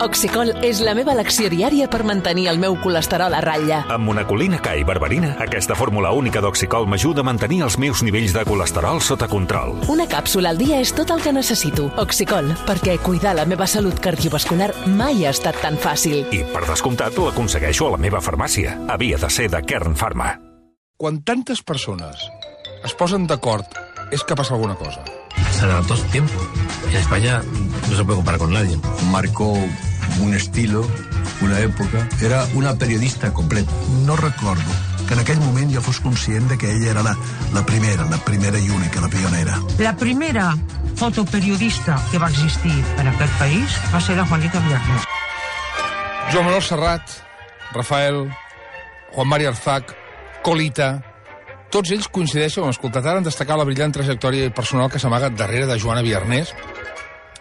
Oxicol és la meva elecció diària per mantenir el meu colesterol a ratlla. Amb monacolina K i berberina, aquesta fórmula única d'Oxicol m'ajuda a mantenir els meus nivells de colesterol sota control. Una càpsula al dia és tot el que necessito. Oxicol, perquè cuidar la meva salut cardiovascular mai ha estat tan fàcil. I, per descomptat, l'aconsegueixo a la meva farmàcia. Havia de ser de Kern Pharma. Quan tantes persones es posen d'acord, és que passa alguna cosa. Se adaptó su tiempo. En España no se puede comparar con nadie. Marcó un estilo, una època. Era una periodista completa. No recordo que en aquell moment jo fos conscient de que ella era la primera i única, la pionera. La primera fotoperiodista que va existir en aquest país va ser la Juanita Villarnés. Joan Manuel Serrat, Rafael, Juan Mari Arzac, Colita... Tots ells coincideixen, hem escoltat ara, en destacar la brillant trajectòria personal que s'amaga darrere de Joana Villarnés.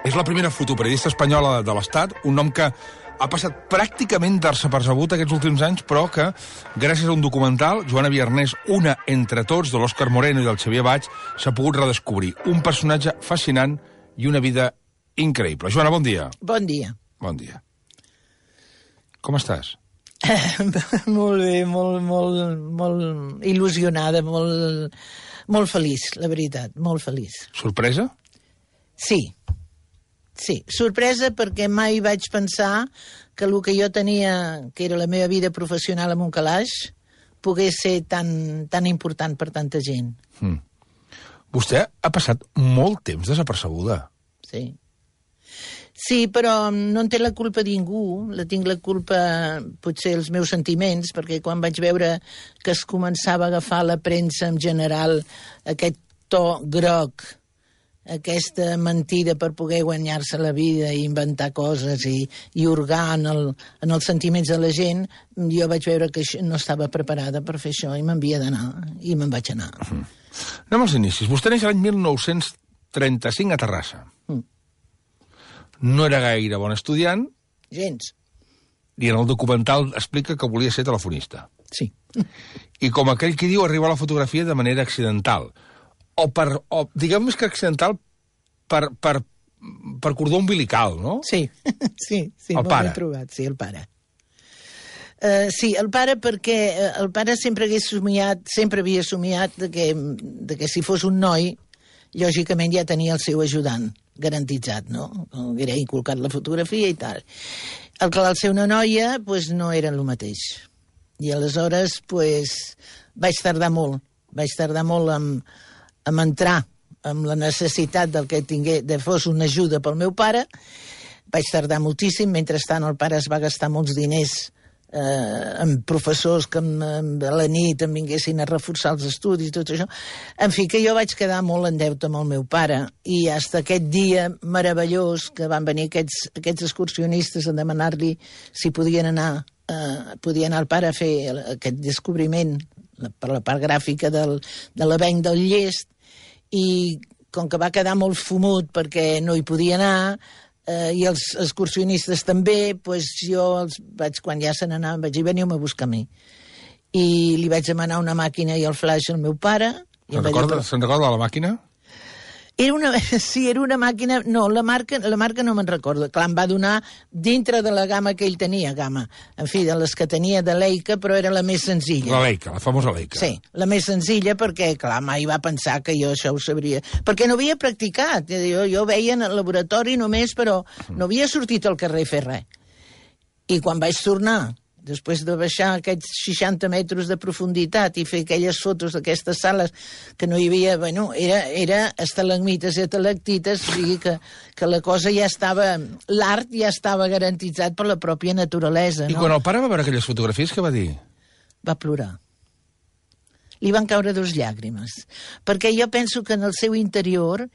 És la primera fotoperiodista espanyola de l'Estat, un nom que ha passat pràcticament desapercebut aquests últims anys, però que, gràcies a un documental, Joana Villarnés, una entre tots, de l'Òscar Moreno i del Xavier Baig, s'ha pogut redescobrir. Un personatge fascinant i una vida increïble. Joana, bon dia. Bon dia. Bon dia. Com estàs? Molt bé, molt il·lusionada, molt feliç, la veritat, molt feliç. Sorpresa? Sí, sorpresa perquè mai vaig pensar que el que jo tenia, que era la meva vida professional en un calaix, pogués ser tan important per tanta gent. Vostè ha passat molt temps desapercebuda. Sí, però no en té la culpa ningú, tinc la culpa potser els meus sentiments, perquè quan vaig veure que es començava a agafar la premsa en general aquest to groc, aquesta mentida per poder guanyar-se la vida i inventar coses i hurgar en els sentiments de la gent, jo vaig veure que no estava preparada per fer això i m'havia d'anar, i me'n vaig anar. Anem als inicis. Vostè neix l'any 1935 a Terrassa. No era gaire bon estudiant. Gens. I en el documental explica que volia ser telefonista. Sí. I com aquell qui diu, arriba a la fotografia de manera accidental. O diguem més que accidental, per cordó umbilical, no? Sí, el pare. Ben trobat, sí, el pare. Sí, el pare perquè el pare sempre havia somiat que si fos un noi, lògicament ja tenia el seu ajudant garantitzat, no? Era inculcat la fotografia i tal. El que al ser una noia, doncs no era el mateix. I aleshores, vaig tardar molt en entrar amb la necessitat del que fos una ajuda pel meu pare. Vaig tardar moltíssim, mentrestant el pare es va gastar molts diners amb professors que a la nit em vinguessin a reforçar els estudis, tot això. En fi, que jo vaig quedar molt en deute amb el meu pare, i fins aquest dia meravellós que van venir aquests excursionistes a demanar-li si podien anar al pare a fer aquest descobriment per la part gràfica de l'avenc del Llest, i com que va quedar molt fumut perquè no hi podia anar, i els excursionistes també, doncs jo quan ja se n'anaven vaig dir, veniu-me a buscar a mi. I li vaig demanar una màquina i el flaix al meu pare. Se'n recorda la màquina? Era una màquina... No, la marca no me'n recordo. Clar, em va donar dintre de la gamma que ell tenia, en fi, de les que tenia de Leica, però era la més senzilla. La Leica, la famosa Leica. Sí, la més senzilla perquè, clar, mai va pensar que jo això ho sabria. Perquè no havia practicat. Jo veia en el laboratori només, però no havia sortit al carrer a fer res. I quan vaig tornar, després de baixar aquests 60 metres de profunditat i fer aquelles fotos d'aquestes sales que no hi havia... Bueno, era estalagmites i estalactites, o sigui que la cosa ja estava... L'art ja estava garantitzat per la pròpia naturalesa, no? I quan el pare va veure aquelles fotografies, què va dir? Va plorar. Li van caure 2 llàgrimes. Perquè jo penso que en el seu interior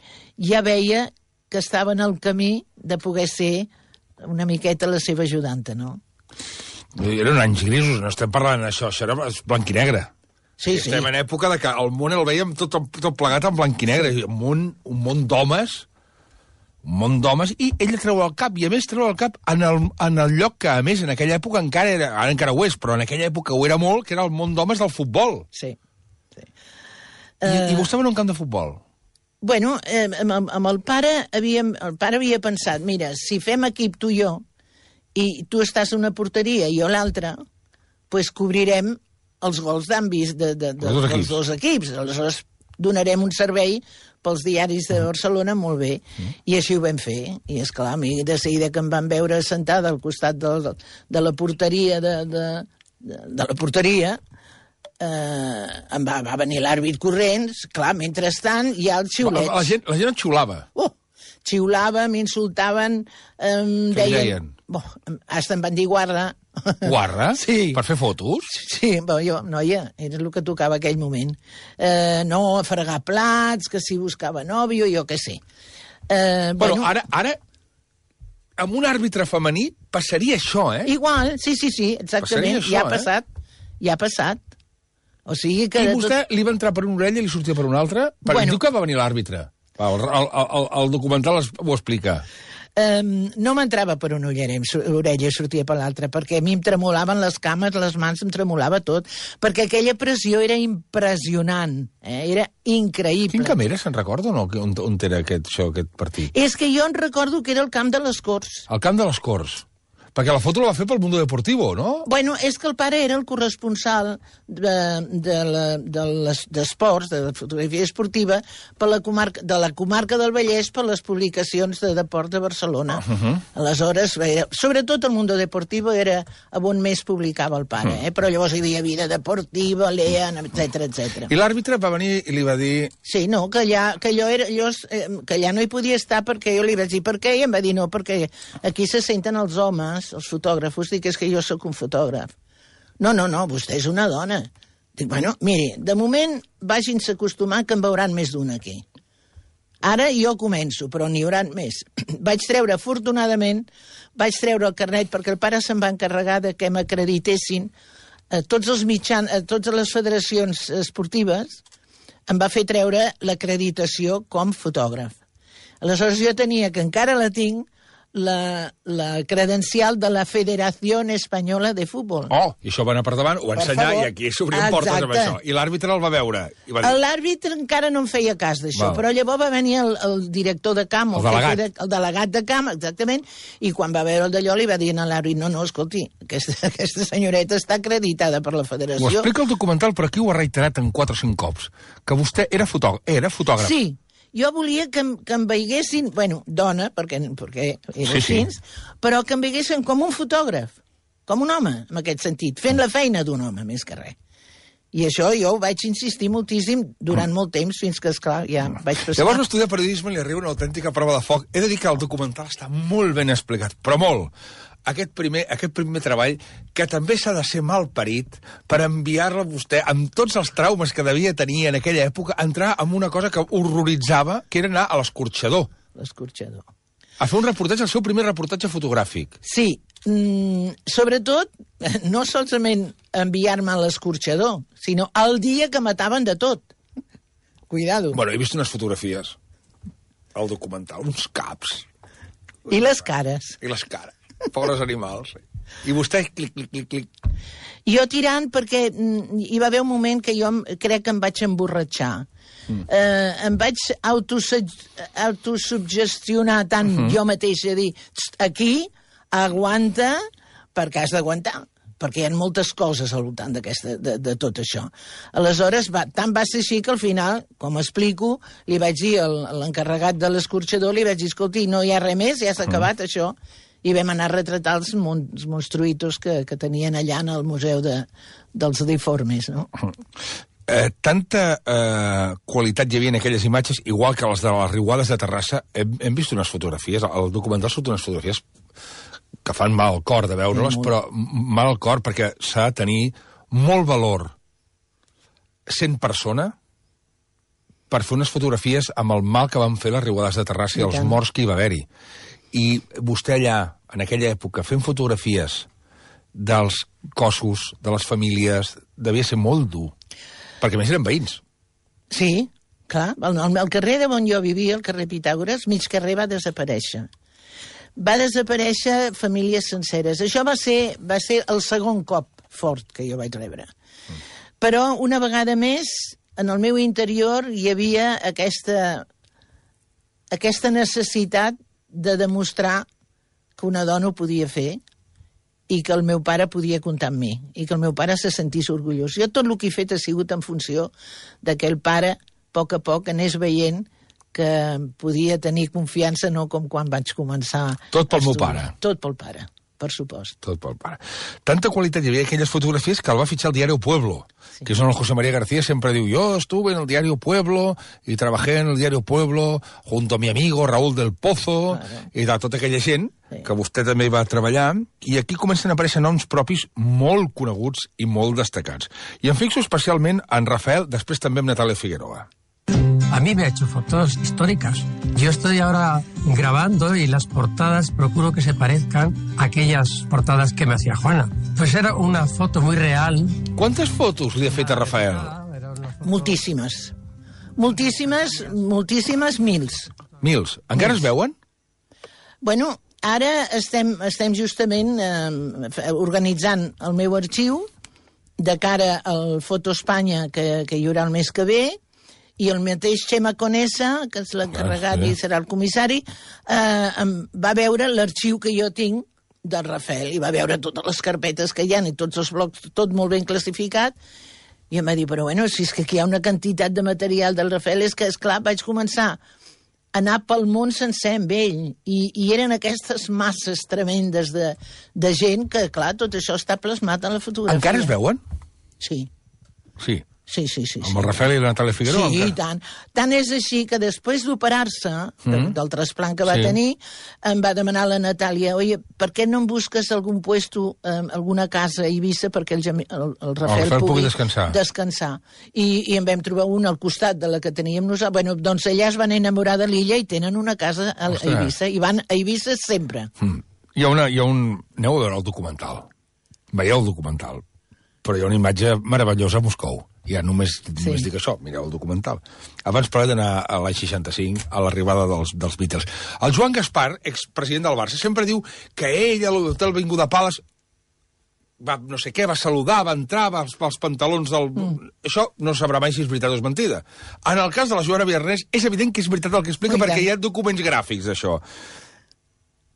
ja veia que estava en el camí de poder ser una miqueta la seva ajudanta, no? Eren anys grisos, no estem parlant d'això, això era blanc i negre. Sí. Estem en època de que el món el veiem tot plegat en blanc i negre, un món d'homes, i ella treu el cap, i a més treu el cap en el lloc que, a més, en aquella època encara ho és, però en aquella època ho era molt, que era el món d'homes del futbol. Sí. I vostè va en un camp de futbol? Bueno, amb el pare havia pensat, mira, si fem equip tu i jo, i tu estàs a una porteria i jo a l'altra, doncs cobrirem els gols d'ambis dels dos equips. Aleshores donarem un servei pels diaris de Barcelona molt bé. I així ho vam fer. I esclar, a mi de seguida que em van veure sentada al costat de la porteria de la porteria, em va venir l'àrbit corrents, clar, mentrestant hi ha els xiulets. La gent et xiulava. Xiulava, m'insultaven, deien... Hasta em van dir guarda. Guarda? Sí. Per fer fotos? Sí, jo, noia, era el que tocava aquell moment. No fregar plats, que si buscava nòvio, jo què sé. Bueno, ara, amb un àrbitre femení passaria això, eh? Igual, sí, exactament. Això, ja ha passat. O sigui que... I vostè li va entrar per una orella i li sortia per una altra? Perquè diu que va venir l'àrbitre. El documental ho explica. No m'entrava per una orella i sortia per l'altra, perquè a mi em tremolaven les cames, les mans, em tremolava tot, perquè aquella pressió era impressionant, era increïble. Quin camp era, se'n recorda o no, on era aquest partit? És que jo em recordo que era el camp de les Corts. El camp de les Corts. Perquè la foto la va fer pel Mundo Deportivo, no? Bueno, és que el pare era el corresponsal d'esports, de la fotografia esportiva, de la comarca del Vallès per les publicacions de Deport de Barcelona. Aleshores, sobretot el Mundo Deportivo era on més publicava el pare, però llavors hi havia Vida Deportiva, Lean, etc. I l'àrbitre va venir i li va dir... Sí, no, que allà no hi podia estar perquè jo li vaig dir per què, i em va dir no, perquè aquí se senten els homes, els fotògrafos, dic, és que jo sóc un fotògraf. No, vostè és una dona. Dic, bueno, miri, de moment vagin-se acostumant que en veuran més d'una aquí. Ara jo començo, però n'hi haurà més. Afortunadament, vaig treure el carnet perquè el pare se'n va encarregar de que m'acreditessin tots els mitjans, totes les federacions esportives, em va fer treure l'acreditació com fotògraf. Aleshores jo tenia, que encara la tinc, la credencial de la Federació Espanyola de Futbol. I això va anar per davant, ho va ensenyar i aquí s'obrien portes amb això. I l'àrbitre el va veure. L'àrbitre encara no em feia cas d'això, però llavors va venir el director de camp, el delegat de camp, exactament, i quan va veure el d'allò li va dir a l'àrbitre, no, escolti, aquesta senyoreta està acreditada per la federació. Ho explica el documental, però aquí ho ha reiterat en 4 o 5 cops, que vostè era fotògraf. Sí. Jo volia que em veiessin, dona, perquè era així, però que em veiessin com un fotògraf, com un home, en aquest sentit, fent la feina d'un home, més que res. I això jo ho vaig insistir moltíssim durant molt temps, fins que, esclar, ja vaig passar... Llavors, estudiar periodisme li arriba una autèntica prova de foc. He de dir que el documental està molt ben explicat, però molt. Aquest primer treball, que també s'ha de ser mal parit per enviar-la a vostè, amb tots els traumes que devia tenir en aquella època, a entrar en una cosa que horroritzava, que era anar a l'escorxador. L'escorxador. A fer un reportatge, el seu primer reportatge fotogràfic. Sí, sobretot, no solament enviar-me a l'escorxador, sinó el dia que mataven de tot. Cuidado. Bueno, he vist unes fotografies al documental, uns caps. I les cares. I les cares. Pobres animals. I vostè, clic. Jo tirant perquè hi va haver un moment que jo crec que em vaig emborratxar. Em vaig autosuggestionar tant jo mateixa, dir, aquí, aguanta, perquè has d'aguantar, perquè hi ha moltes coses al voltant de tot això. Aleshores, tant va ser així que al final, com explico, li vaig dir a l'encarregat de l'escorxador, li vaig dir, escolti, no hi ha res més, ja s'ha acabat això, i vam anar a retratar els monstruïtos que tenien allà en el Museu dels Deformes, no? Tanta qualitat hi havia en aquelles imatges, igual que les de les riuades de Terrassa. Hem vist unes fotografies, el documental surt unes fotografies que fan mal al cor de veure-les, però mal al cor perquè s'ha de tenir molt valor sent persona per fer unes fotografies amb el mal que van fer les riuades de Terrassa i els morts que hi va haver-hi. I vostè allà, en aquella època, fent fotografies dels cossos, de les famílies, devia ser molt dur. Perquè a més eren veïns. Sí, clar. El carrer on jo vivia, el carrer Pitàgores, mig carrer va desaparèixer. Va desaparèixer famílies senceres. Això va ser el segon cop fort que jo vaig rebre. Però una vegada més, en el meu interior hi havia aquesta necessitat de demostrar que una dona ho podia fer i que el meu pare podia comptar amb mi, i que el meu pare se sentís orgullós. Jo tot el que he fet ha sigut en funció de que el pare, a poc, anés veient que podia tenir confiança, no com quan vaig començar. Tot pel meu pare. Tot pel pare, per supost. Tot pel pare. Tanta qualitat hi havia aquelles fotografies que el va fitxar el diario Pueblo, que és on el José María García sempre diu: yo estuve en el diario Pueblo y trabajé en el diario Pueblo junto a mi amigo Raúl del Pozo, i de tota aquella gent que vostè també hi va treballar, i aquí comencen a aparèixer noms propis molt coneguts i molt destacats. I em fixo especialment en Rafael, després també amb Natalia Figueroa. A mí me ha hecho fotos históricas. Yo estoy ahora grabando y las portadas procuro que se parezcan a aquellas portadas que me hacía Juana. Pues era una foto muy real. Quantes fotos li ha fet a Rafael? Moltíssimes. Moltíssimes, mils. Mils. Encara es veuen? Bueno, ara estem justament organitzant el meu arxiu de cara al Foto Espanya que hi haurà el mes que ve, i el mateix Xema Conesa, que és l'encarregat i serà el comissari, va veure l'arxiu que jo tinc del Rafael, i va veure totes les carpetes que hi ha i tots els blocs, tot molt ben classificat, i em va dir, però bueno, si és que aquí hi ha una quantitat de material del Rafael, és que, esclar, vaig començar a anar pel món sencer amb ell, i eren aquestes masses tremendes de gent que, clar, tot això està plasmat en la fotografia. Encara es veuen? Sí. Sí. Sí. Amb el Rafael i la Natalia Figueroa? Sí, i tant. Tant és així que després d'operar-se, del trasplant que va tenir, em va demanar la Natàlia: oye, per què no em busques algun puesto, alguna casa a Eivissa perquè el Rafael pugui descansar? I en vam trobar una al costat de la que teníem nosaltres. Bueno, doncs allà es van enamorar de l'illa i tenen una casa a Eivissa, i van a Eivissa sempre. Hi ha un... Aneu a veure el documental. Veieu el documental. Però hi ha una imatge meravellosa a Moscou. Ja només dic això, mireu el documental. Abans parlem d'anar a l'any 65, a l'arribada dels Beatles. El Joan Gaspar, expresident del Barça, sempre diu que ell a l'hotel Avinguda Palace va, no sé què, va saludar, va entrar, va pels pantalons del... Això no sabrà mai si és veritat o és mentida. En el cas de la Joana Viernès, és evident que és veritat el que explica, perquè hi ha documents gràfics d'això.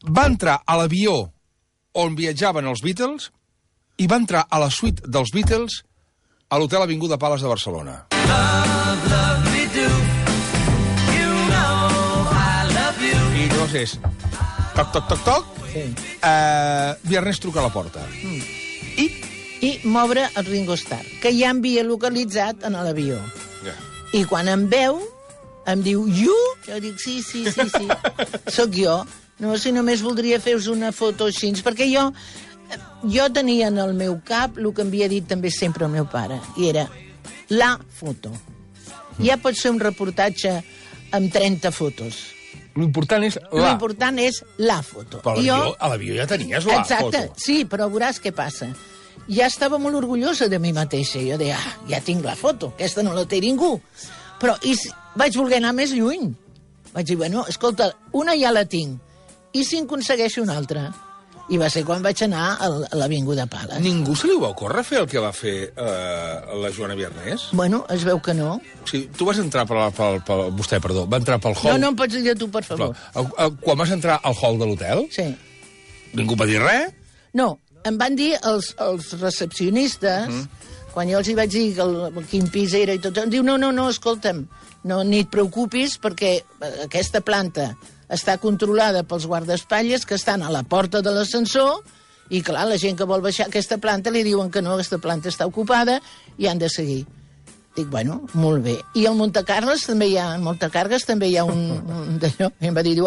Va entrar a l'avió on viatjaven els Beatles i va entrar a la suite dels Beatles a l'hotel Avinguda Palace de Barcelona. I llavors és toc, Viernès truca a la porta. I m'obre el Ringo Starr, que ja m'havia localitzat en l'avió. I quan em veu, em diu, you? Jo dic, sí, sóc jo. No, si només voldria fer-vos una foto així, perquè jo tenia en el meu cap el que em havia dit també sempre el meu pare, i era la foto. Ja pot ser un reportatge amb 30 fotos. L'important és la foto. Però a l'avió ja tenies la foto. Exacte, sí, però veuràs què passa. Ja estava molt orgullosa de mi mateixa. Jo deia, ja tinc la foto, aquesta no la té ningú. Però vaig voler anar més lluny. Vaig dir, bueno, escolta, una ja la tinc, i si en aconsegueixo una altra? I va ser quan vaig anar a l'Avinguda Palace. Ningú se li va ocórrer fer el que va fer la Joana Viernès? Bueno, es veu que no. Sí, tu vas entrar vostè, perdó, va entrar pel hall... No em pots dir tu, per favor. Quan vas entrar al hall de l'hotel? Sí. Ningú va dir res? No, em van dir els recepcionistes, quan jo els hi vaig dir quin pis era i tot, em diu, no, escolta'm, ni et preocupis perquè aquesta planta està controlada pels guardaespatlles que estan a la porta de l'ascensor i, clar, la gent que vol baixar aquesta planta li diuen que no, aquesta planta està ocupada i han de seguir. Dic, bueno, molt bé. I al Montecargues també hi ha un d'allò. I em va dir,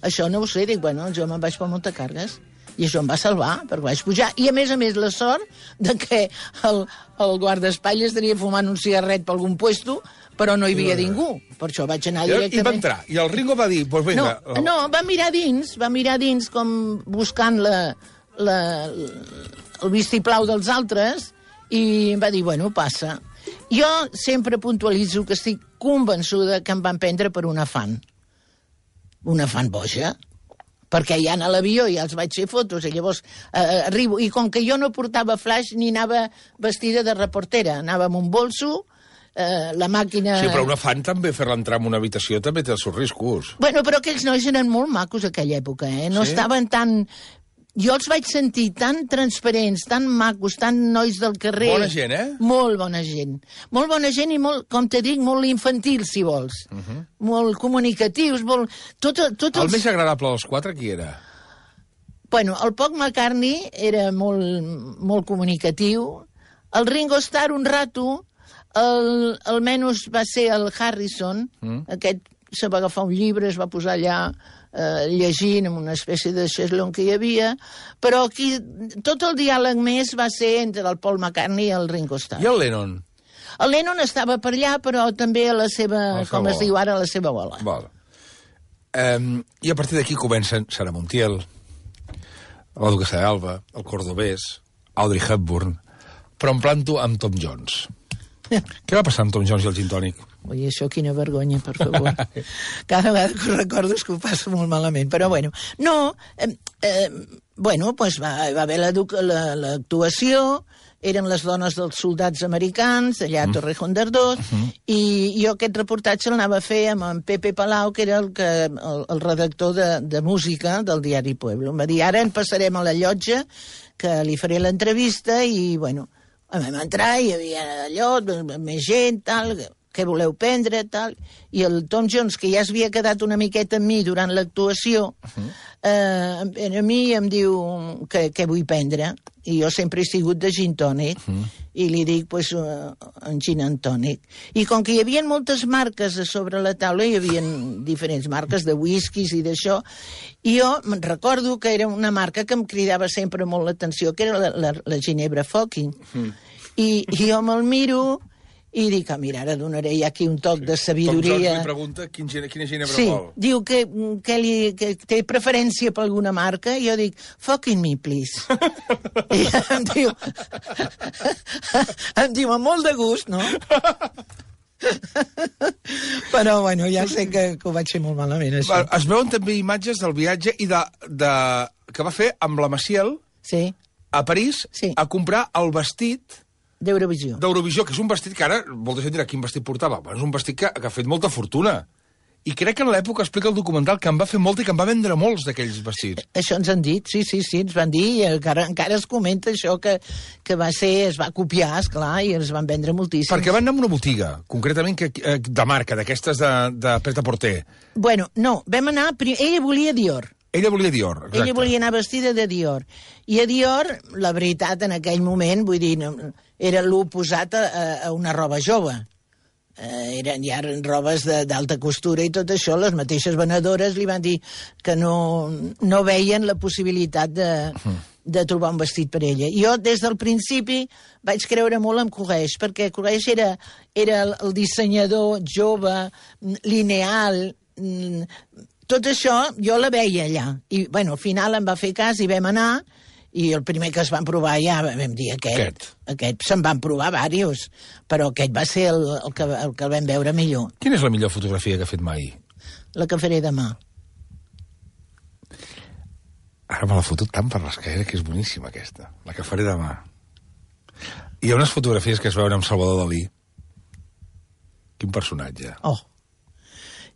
això no ho sé. Dic, bueno, jo me'n vaig pel Montecargues. I això em va salvar, perquè vaig pujar. I, a més, la sort de que el guardaespatlles tenia fumant un cigarret per algun puesto, però no hi havia ningú. Per això vaig anar directament... I va entrar. I el Ringo va dir... Pues venga, no, va mirar dins com buscant el vistiplau dels altres, i em va dir, bueno, passa. Jo sempre puntualitzo que estic convençuda que em van prendre per una fan boja, perquè ja a l'avió ja els vaig fer fotos, i llavors arribo, i com que jo no portava flash ni anava vestida de reportera, anava amb un bolso, la màquina... Sí, però una fan també, fer-la entrar en una habitació també té els seus riscos. Bueno, però aquells nois eren molt macos aquella època, no estaven tan jo els vaig sentir tan transparents, tan macos, tan nois del carrer. Bona gent, eh? Molt bona gent. Molt bona gent i molt, com te dic, molt infantil, si vols. Molt comunicatius, molt... El més agradable dels 4, qui era? Bueno, el Paul McCartney era molt comunicatiu. El Ringo Starr, un rato. El menys va ser el Harrison. Aquest se va agafar un llibre, es va posar allà llegint en una espècie de xeslong que hi havia, però aquí tot el diàleg més va ser entre el Paul McCartney i el Ringo Starr. I el Lennon? El Lennon estava per allà, però també a la seva, com es diu ara, a la seva bola. Val. I a partir d'aquí comencen Sara Montiel, la duquessa d'Alba, el Cordobès, Audrey Hepburn, però em planto amb Tom Jones. Què va passar amb Tom Jones i el gin tònic? Ui, això quina vergonya, per favor. Cada vegada que ho recordo és que ho passo molt malament, però bueno. No, pues va haver l'actuació, eren les dones dels soldats americans, allà a Torrejón de Ardoz, i jo aquest reportatge l'anava a fer amb en Pepe Palau, que era el redactor de música del diari Pueblo. Em va dir, ara en passarem a la llotja, que li faré l'entrevista, i bueno, vam entrar, hi havia allò, més gent, tal... què voleu prendre, tal... I el Tom Jones, que ja s'havia quedat una miqueta amb mi durant l'actuació, a mi em diu què vull prendre. I jo sempre he sigut de gin tònic, i li dic, pues, un gin and tònic. I com que hi havia moltes marques a sobre la taula, hi havia diferents marques de whiskies i d'això, i jo me'n recordo que era una marca que em cridava sempre molt l'atenció, que era la Ginebra Fucking. I jo me'l miro... I dic, mira, ara donaré ja aquí un toc de sabidoria. Tom Jones li pregunta quina ginebra vol. Sí, diu que té preferència per alguna marca, i jo dic, fucking me, please. I em diu, amb molt de gust, no? Però, bueno, ja sé que ho vaig fer molt malament, això. Es veuen també imatges del viatge i que va fer amb la Maciel a París a comprar el vestit d'Eurovisió. D'Eurovisió, que és un vestit que ara, molta gent dirà quin vestit portava. Bueno, és un vestit que ha fet molta fortuna. I crec que en l'època explica el documental que en va fer molta i que en va vendre molts d'aquells vestits. Això ens han dit, sí, ens van dir, i encara es comenta això que es va copiar, esclar, i es van vendre moltíssims. Perquè van anar a una botiga, concretament de marca, d'aquestes de Pret-a-Porter. Bueno, no, vam anar... Ella volia Dior. Ella volia Dior, exacte. Ella volia anar vestida de Dior. I a Dior, la veritat, en aquell moment, vull dir, era l'oposat a una roba jove. Eren ja robes d'alta costura i tot això. Les mateixes venedores li van dir que no veien la possibilitat de trobar un vestit per ella. Jo, des del principi, vaig creure molt en Courrèges, perquè Courrèges era el dissenyador jove, lineal... Tot això jo la veia allà. I, bueno, al final em va fer cas i vam anar, i el primer que es van provar ja vam dir aquest. Se'n van provar diversos, però aquest va ser el que el vam veure millor. Quina és la millor fotografia que ha fet mai? La que faré demà. Ara me l'ha fotut tant per l'esquerra, que és boníssima aquesta. La que faré demà. Hi ha unes fotografies que es veuen amb Salvador Dalí. Quin personatge. Oh!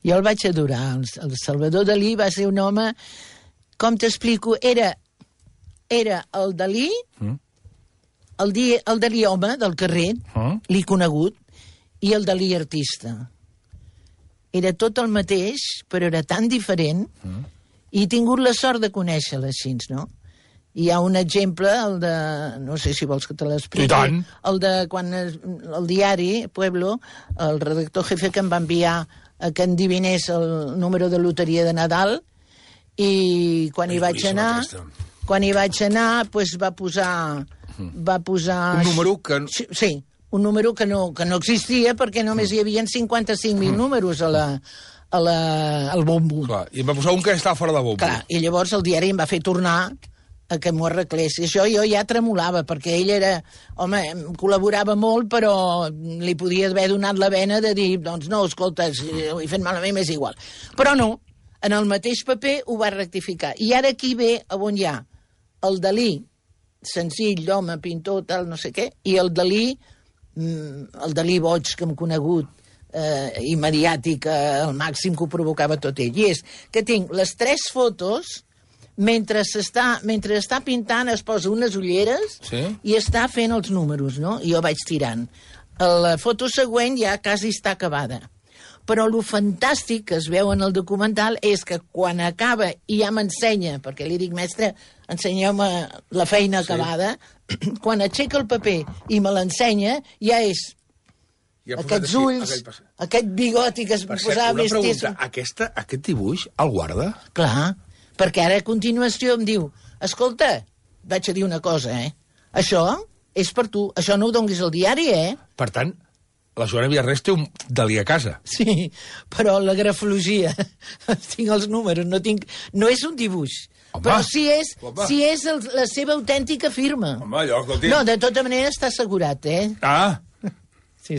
Jo el vaig adorar. El Salvador Dalí va ser un home, com t'explico, era el Dalí, el Dalí home del carrer, l'he conegut, i el Dalí artista. Era tot el mateix, però era tan diferent, i he tingut la sort de conèixer-la així, no? Hi ha un exemple, el de... No sé si vols que te l'expliqui. I tant! El de quan el diari, Pueblo, el redactor jefe que em va enviar a que endivinés el número de loteria de Nadal, i quan hi vaig anar, pues va posar... Un número que... Sí, un número que no existia, perquè només hi havia 55.000 números al bombo. Clar, i em va posar un que estava fora de bombo. Clar, i llavors el diari em va fer tornar a que m'ho arreglés. I això jo ja tremolava, perquè ell era... Home, col·laborava molt, però li podia haver donat la vena de dir, doncs no, escolta, si ho he fet malament, m'és igual. Però no, en el mateix paper ho va rectificar. I ara aquí ve on hi ha el Dalí, senzill, d'home, pintor, tal, no sé què, i el Dalí boig que hem conegut, i mediàtic, al màxim que ho provocava tot ell. I és que tinc les 3 fotos mentre està pintant es posa unes ulleres i està fent els números, no? I jo vaig tirant. La foto següent ja quasi està acabada. Però el fantàstic que es veu en el documental és que quan acaba i ja m'ensenya, perquè li dic, mestre, ensenyeu-me la feina acabada, quan aixeca el paper i me l'ensenya, ja és aquests ulls, aquest bigoti que es posava més tès. Una pregunta, aquest dibuix el guarda? Clar, perquè ara a continuació em diu, escolta, vaig a dir una cosa, això és per tu, això no ho donguis al diari, Per tant, la Joana Villarrés té un dalí a casa. Sí, però la grafologia, tinc els números, no és un dibuix. Home, però si és la seva autèntica firma. Home, allò, escolti. No, de tota manera està assegurat, Ah! Sí.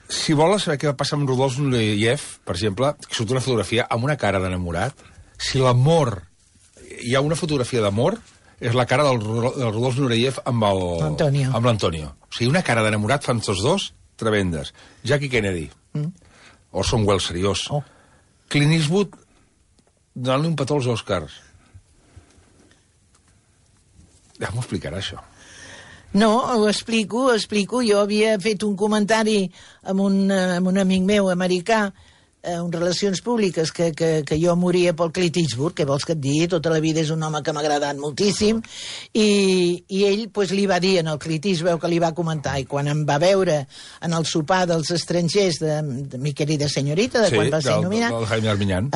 Si vols saber què va passar amb Rodolf Nureyev, per exemple, que surt una fotografia amb una cara d'enamorat, si l'amor... Hi ha una fotografia d'amor, és la cara del Rodolf Nureyev amb l'Antonio. O sigui, una cara d'enamorat fan tots dos, tremendes. Jackie Kennedy. Orson Welles, seriós. Clint Eastwood donant-li un petó als Oscars. Ja m'ho explicarà, això. No, ho explico. Jo havia fet un comentari amb un amic meu americà, en Relacions Públiques, que jo moria pel Clint Eastwood, que vols que et digui, tota la vida és un home que m'ha agradat moltíssim, i ell li va dir en el Clint Eastwood que li va comentar, i quan em va veure en el sopar dels estrangers de Mi querida senyorita, de quan va ser nominat, del Jaime Armiñán,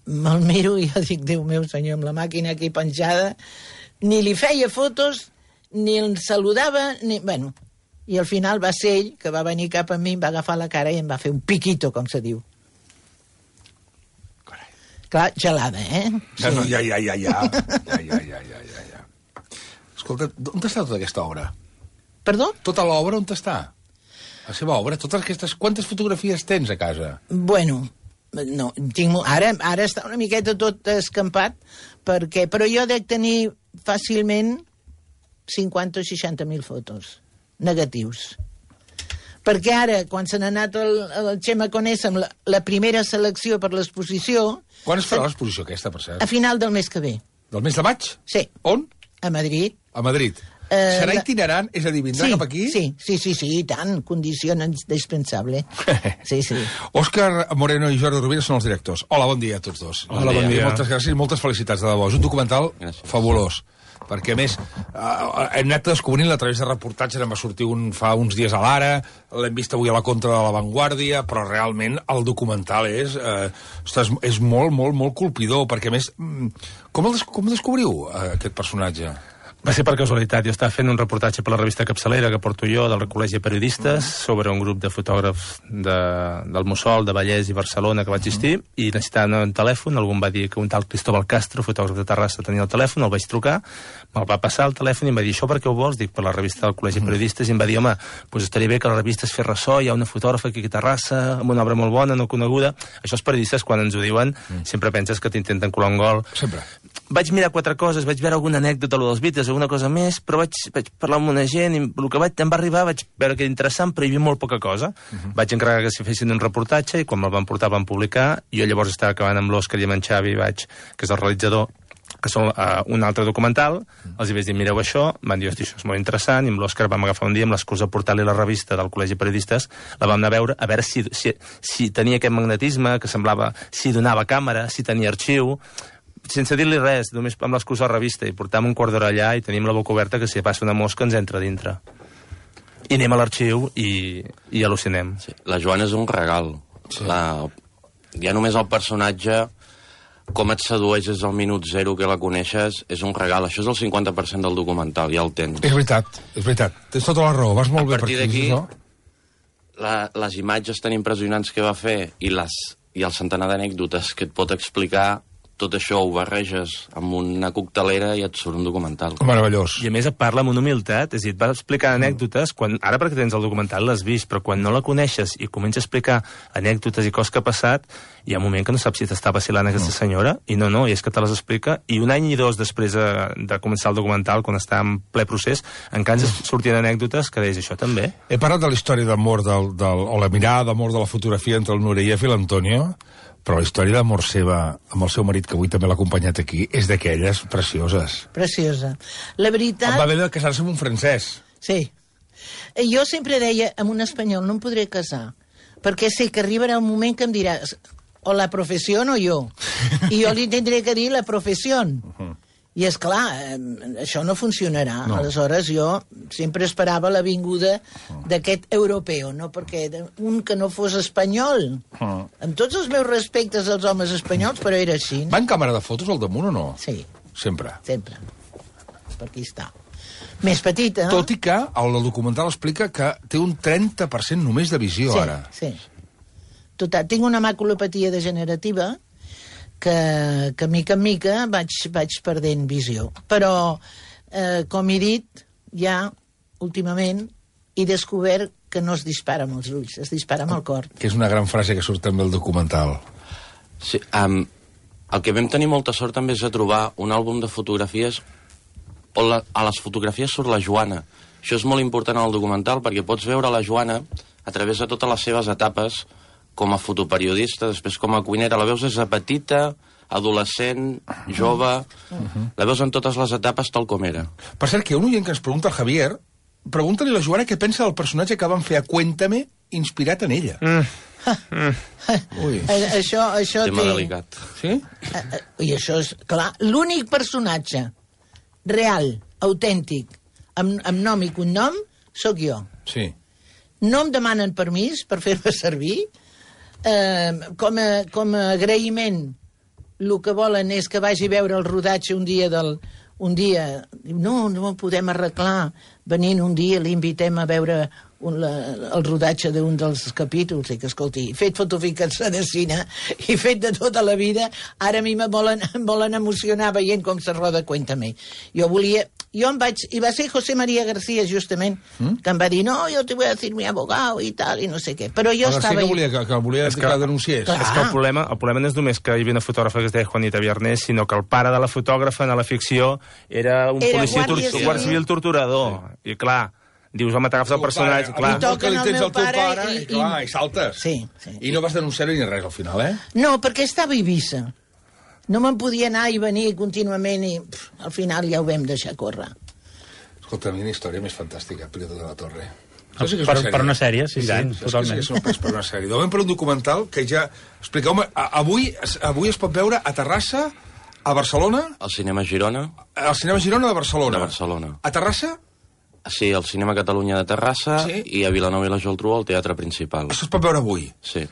me'l miro i jo dic, Déu meu senyor, amb la màquina aquí penjada, ni li feia fotos, ni el saludava, bueno, i al final va ser ell que va venir cap a mi, em va agafar la cara i em va fer un piquito, com se diu. Clar, gelada, Ja. Escolta, on està tota aquesta obra? Perdó? Tota l'obra on està? La seva obra, totes aquestes... Quantes fotografies tens a casa? Bueno, no, ara està una miqueta tot escampat, però jo dec tenir fàcilment 50 o 60.000 fotos negatius. Perquè ara, quan se n'ha anat el Xema Conesa amb la primera selecció per l'exposició... Quan es farà l'exposició aquesta, per cert? A final del mes que ve. Del mes de maig? Sí. On? A Madrid. A Madrid. Serà itinerant? És a dir, vindrà cap aquí? Sí, i tant. Condició indispensable. Sí. Òscar Moreno i Jordi Rovira són els directors. Hola, bon dia a tots dos. Hola, bon dia. Moltes gràcies i moltes felicitats, de debò. És un documental fabulós. Perquè, a més, hem anat descobrint a través de reportatges, em va sortir fa uns dies a l'Ara, l'hem vist avui a la Contra de la Vanguardia, però realment el documental és molt, molt, molt colpidor, perquè, a més, com descobriu aquest personatge? Va ser per casualitat. Jo estava fent un reportatge per la revista Capçalera, que porto jo, del Col·legi de Periodistes, sobre un grup de fotògrafs del Mussol, de Vallès i Barcelona que va existir, i necessitaven un telèfon. Algú em va dir que un tal Cristóbal Castro, fotògraf de Terrassa, tenia el telèfon, el vaig trucar, me'l va passar el telèfon i em va dir, això per què ho vols? Dic, per la revista del Col·legi de Periodistes, i em va dir, home, doncs estaria bé que la revista es fes ressò, hi ha una fotògrafa aquí a Terrassa, amb una obra molt bona, no coneguda. Això els periodistes, quan ens ho diuen, sempre penses que t'intenten colar un gol. Sempre. Vaig mirar 4 coses, vaig veure alguna anècdota dels Beatles, alguna cosa més, però vaig parlar amb una gent i el que em va arribar vaig veure que era interessant, però hi havia molt poca cosa. Vaig encarregar que s'hi fessin un reportatge i quan me'l van portar van publicar. Jo llavors estava acabant amb l'Òscar i amb en Xavi, que és el realitzador, que són un altre documental. Els hi vaig dir, mireu això, van dir, hosti, això és molt interessant, i amb l'Òscar vam agafar un dia amb l'excusa de portar-li la revista del Col·legi de Periodistes, la vam anar a veure si tenia aquest magnetisme, que semblava, si donava càmera, si tenia arxiu, sense dir-li res, només amb l'excusa de la revista, i portàvem un quart d'hora allà i tenim la boca oberta que si passa una mosca ens entra dintre. I anem a l'arxiu i al·lucinem. Sí. La Joana és un regal. Sí. Ja només el personatge, com et sedueixes al minut 0 que la coneixes, és un regal. Això és el 50% del documental, ja el tens. És veritat. Tens tota la raó, vas molt bé per aquí. A partir d'aquí, les imatges tan impressionants que va fer i el centenar d'anècdotes que et pot explicar, tot això ho barreges amb una coctelera i et surt un documental. Meravellós. I a més et parla amb una humilitat, és a dir, et va explicar anècdotes, ara perquè tens el documental l'has vist, però quan no la coneixes i comença a explicar anècdotes i coses que ha passat, hi ha un moment que no saps si t'està vacilant aquesta senyora, i no, i és que te les explica, i un any i 2 després de començar el documental, quan està en ple procés, encara ens sortien anècdotes que deies, això també. He parlat de la història d'amor, o la mirada d'amor de la fotografia entre el Nureyev i l'Antonio, Però la història d'amor seva amb el seu marit, que avui també l'ha acompanyat aquí, és d'aquelles precioses. Preciosa. La veritat... Va haver de casar-se amb un francès. Sí. Jo sempre deia, amb un espanyol no em podré casar, perquè sé que arribarà un moment que em diràs o la professió o jo. I jo li tindré que dir la professió. I és clar, això no funcionarà. No. Aleshores jo sempre esperava la vinguda d'aquest europeu, no? Perquè un que no fos espanyol, amb tots els meus respectes als homes espanyols, però era així. Va en càmera de fotos al damunt o no? Sí. Sempre? Sempre. Per aquí està. Més petita. Tot i que el documental explica que té un 30% només de visió, ara. Sí. Total, tinc una maculopatia degenerativa que mica en mica vaig perdent visió. Però, com he dit, ja, últimament, he descobert que no es dispara amb els ulls, es dispara amb el cor. Que és una gran frase que surt també al documental. Sí, el que vam tenir molta sort també és de trobar un àlbum de fotografies on a les fotografies surt la Joana. Això és molt important al documental perquè pots veure la Joana a través de totes les seves etapes com a fotoperiodista, després com a cuinera. La veus des de petita, adolescent, jove... La veus en totes les etapes tal com era. Per cert, que hi ha un oient que ens pregunta al Javier, pregunta-li a la Joana què pensa del personatge que van fer a Cuéntame inspirat en ella. Ui. Això tema delicat. Sí? I això és, clar, l'únic personatge real, autèntic, amb nom i cognom, sóc jo. Sí. No em demanen permís per fer-me servir. Com a agraïment, el que volen és que vagi a veure el rodatge un dia. No podem arreglar. Venint un dia l'invitem a veure el rodatge d'un dels capítols. I que, escolti, fet fotoficació de cine i fet de tota la vida, ara a mi em volen emocionar veient com se roda Cuéntame. I va ser José María García, justament, que em va dir, no, yo te voy a decir mi abogado i tal, i no sé què. Però jo estava... Que volia que denunciés. És que el problema no és només que hi havia una fotògrafa que es deia Juanita Viernes, sinó que el pare de la fotògrafa en la ficció era un policia guàrdia civil torturador. I clar, dius, home, t'agafes el personatge... Clar. Que li tens el teu pare i saltes. Sí. I no vas denunciar-ho ni res al final, No, perquè estava a Eivissa. No me'n podia anar i venir contínuament i al final ja ho vam deixar córrer. Escolta, a mi una història més fantàstica, Pirata de la Torre. Per una sèrie, sí, totalment. Sí, és per una sèrie. Donem per un documental que ja... Expliqueu-me, avui es pot veure a Terrassa, a Barcelona... Al Cinema Girona. Al Cinema Girona de Barcelona. De Barcelona. A Terrassa? Sí, al Cinema Catalunya de Terrassa i a Vilanova i la Geltrú al Teatre Principal. Això es pot veure avui? Sí.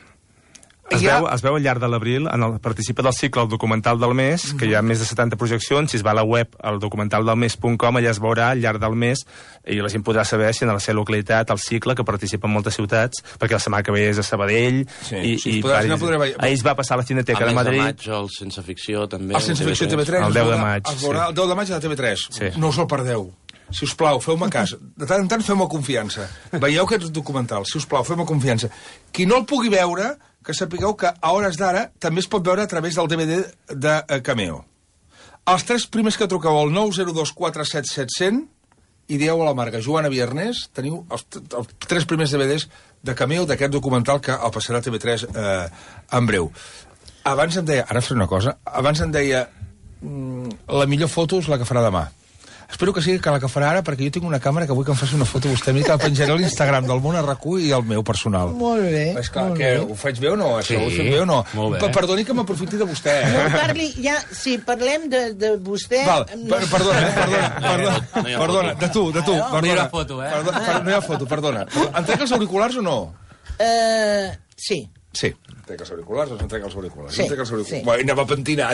Es veu al llarg de l'abril, participa del cicle El documental del mes, que hi ha més de 70 projeccions. Si es va a la web, al documentaldelmes.com, allà es veurà al llarg del mes i la gent podrà saber si en la seva localitat, el cicle, que participa en moltes ciutats, perquè la setmana que ve és a Sabadell, ahir es va passar a la Cineteca de Madrid. A mes de maig, el Sense Ficció, també. El Sense Ficció TV3. El 10 de maig. Es veurà el 10 de maig a la TV3. No us el perdeu. Si us plau, feu-me cas. De tant en tant feu-me confiança. Veieu aquest documental. Si us plau, feu-me confiança. Qui no el pugui veure, que sapigueu que a hores d'ara també es pot veure a través del DVD de Cameo. Els 3 primers que truqueu al 902477100 i dieu a la marca Joana Viernes, teniu els 3 primers DVDs de Cameo d'aquest documental que el passarà a TV3 en breu. Abans em deia, ara faré una cosa, abans em deia la millor foto és la que farà demà. Espero que sigui que la que farà ara, perquè jo tinc una càmera que vull que em faci una foto vostè a mi, que la penjaré a l'Instagram del Món RQ i el meu personal. Molt bé. És clar, que ho faig bé o no? Això ho faig bé o no? Molt bé. Perdoni que m'aprofiti de vostè. No, parli, ja, si parlem de vostè... Val, perdona, de tu. No hi ha foto, No hi ha foto, perdona. Em trec els auriculars o no? Sí. Sí. Trec els auriculars o no trec els auriculars? Sí. Bueno, anem a pentinar.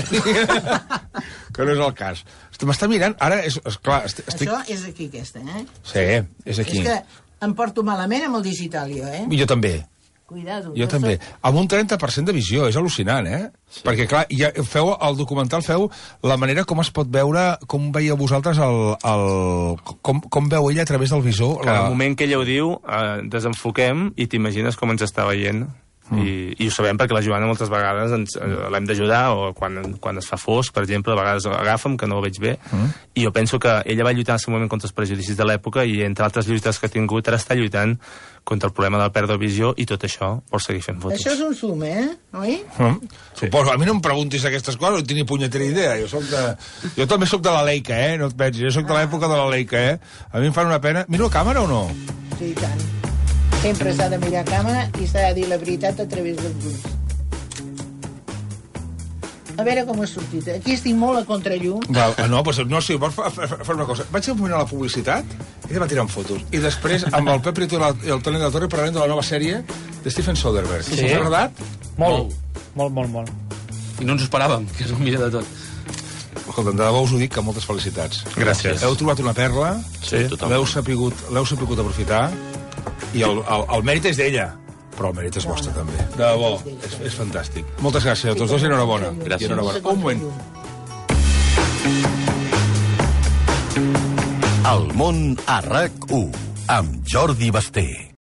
Que no és el cas. M'està mirant, ara és clar... Això és aquí, aquesta, Sí, és aquí. És que em porto malament amb el digital, jo, Jo també. Cuidado. Jo també. Amb un 30% de visió, és al·lucinant, Sí. Perquè, clar, ja feu el documental, feu la manera com es pot veure, com veieu vosaltres com veu ella a través del visor. Cada moment que ella ho diu, desenfoquem i t'imagines com ens està veient. I ho sabem perquè la Joana moltes vegades l'hem d'ajudar, o quan es fa fosc, per exemple, a vegades agafa'm, que no ho veig bé, i jo penso que ella va lluitar en el seu moment contra els prejudicis de l'època, i entre altres lluites que ha tingut ara està lluitant contra el problema de la pèrdua de visió, i tot això vol seguir fent fotos. Això és un zoom, oi? Suposo, a mi no em preguntis aquestes coses, no tinc ni punyetera idea. Jo també sóc de la Leica, no et pensis, jo sóc de l'època de la Leica, A mi em fan una pena... Miro a càmera o no? Sí, i tant. Sempre s'ha de mirar a càmera i s'ha de dir la veritat a través dels ulls. A veure com ha sortit. Aquí estic molt a contrallum. No, sí, vols fer una cosa. Vaig un moment a la publicitat i te va tirant fotos. I després, amb el Pep Prieto i el Toni de la Torre, parlarem de la nova sèrie de Steven Soderbergh. Sí. T'ha agradat? Molt. I no ens ho esperàvem, que és el millor de tot. Escolta, de debò us ho dic, que moltes felicitats. Gràcies. Heu trobat una perla, sí, l'heu sabut aprofitar, i el mèrit és d'ella, però el mèrit és vostre també. De debò, és fantàstic. Moltes gràcies a tots dos i enhorabona. Gràcies. Un moment. El món a RAC1, amb Jordi Basté.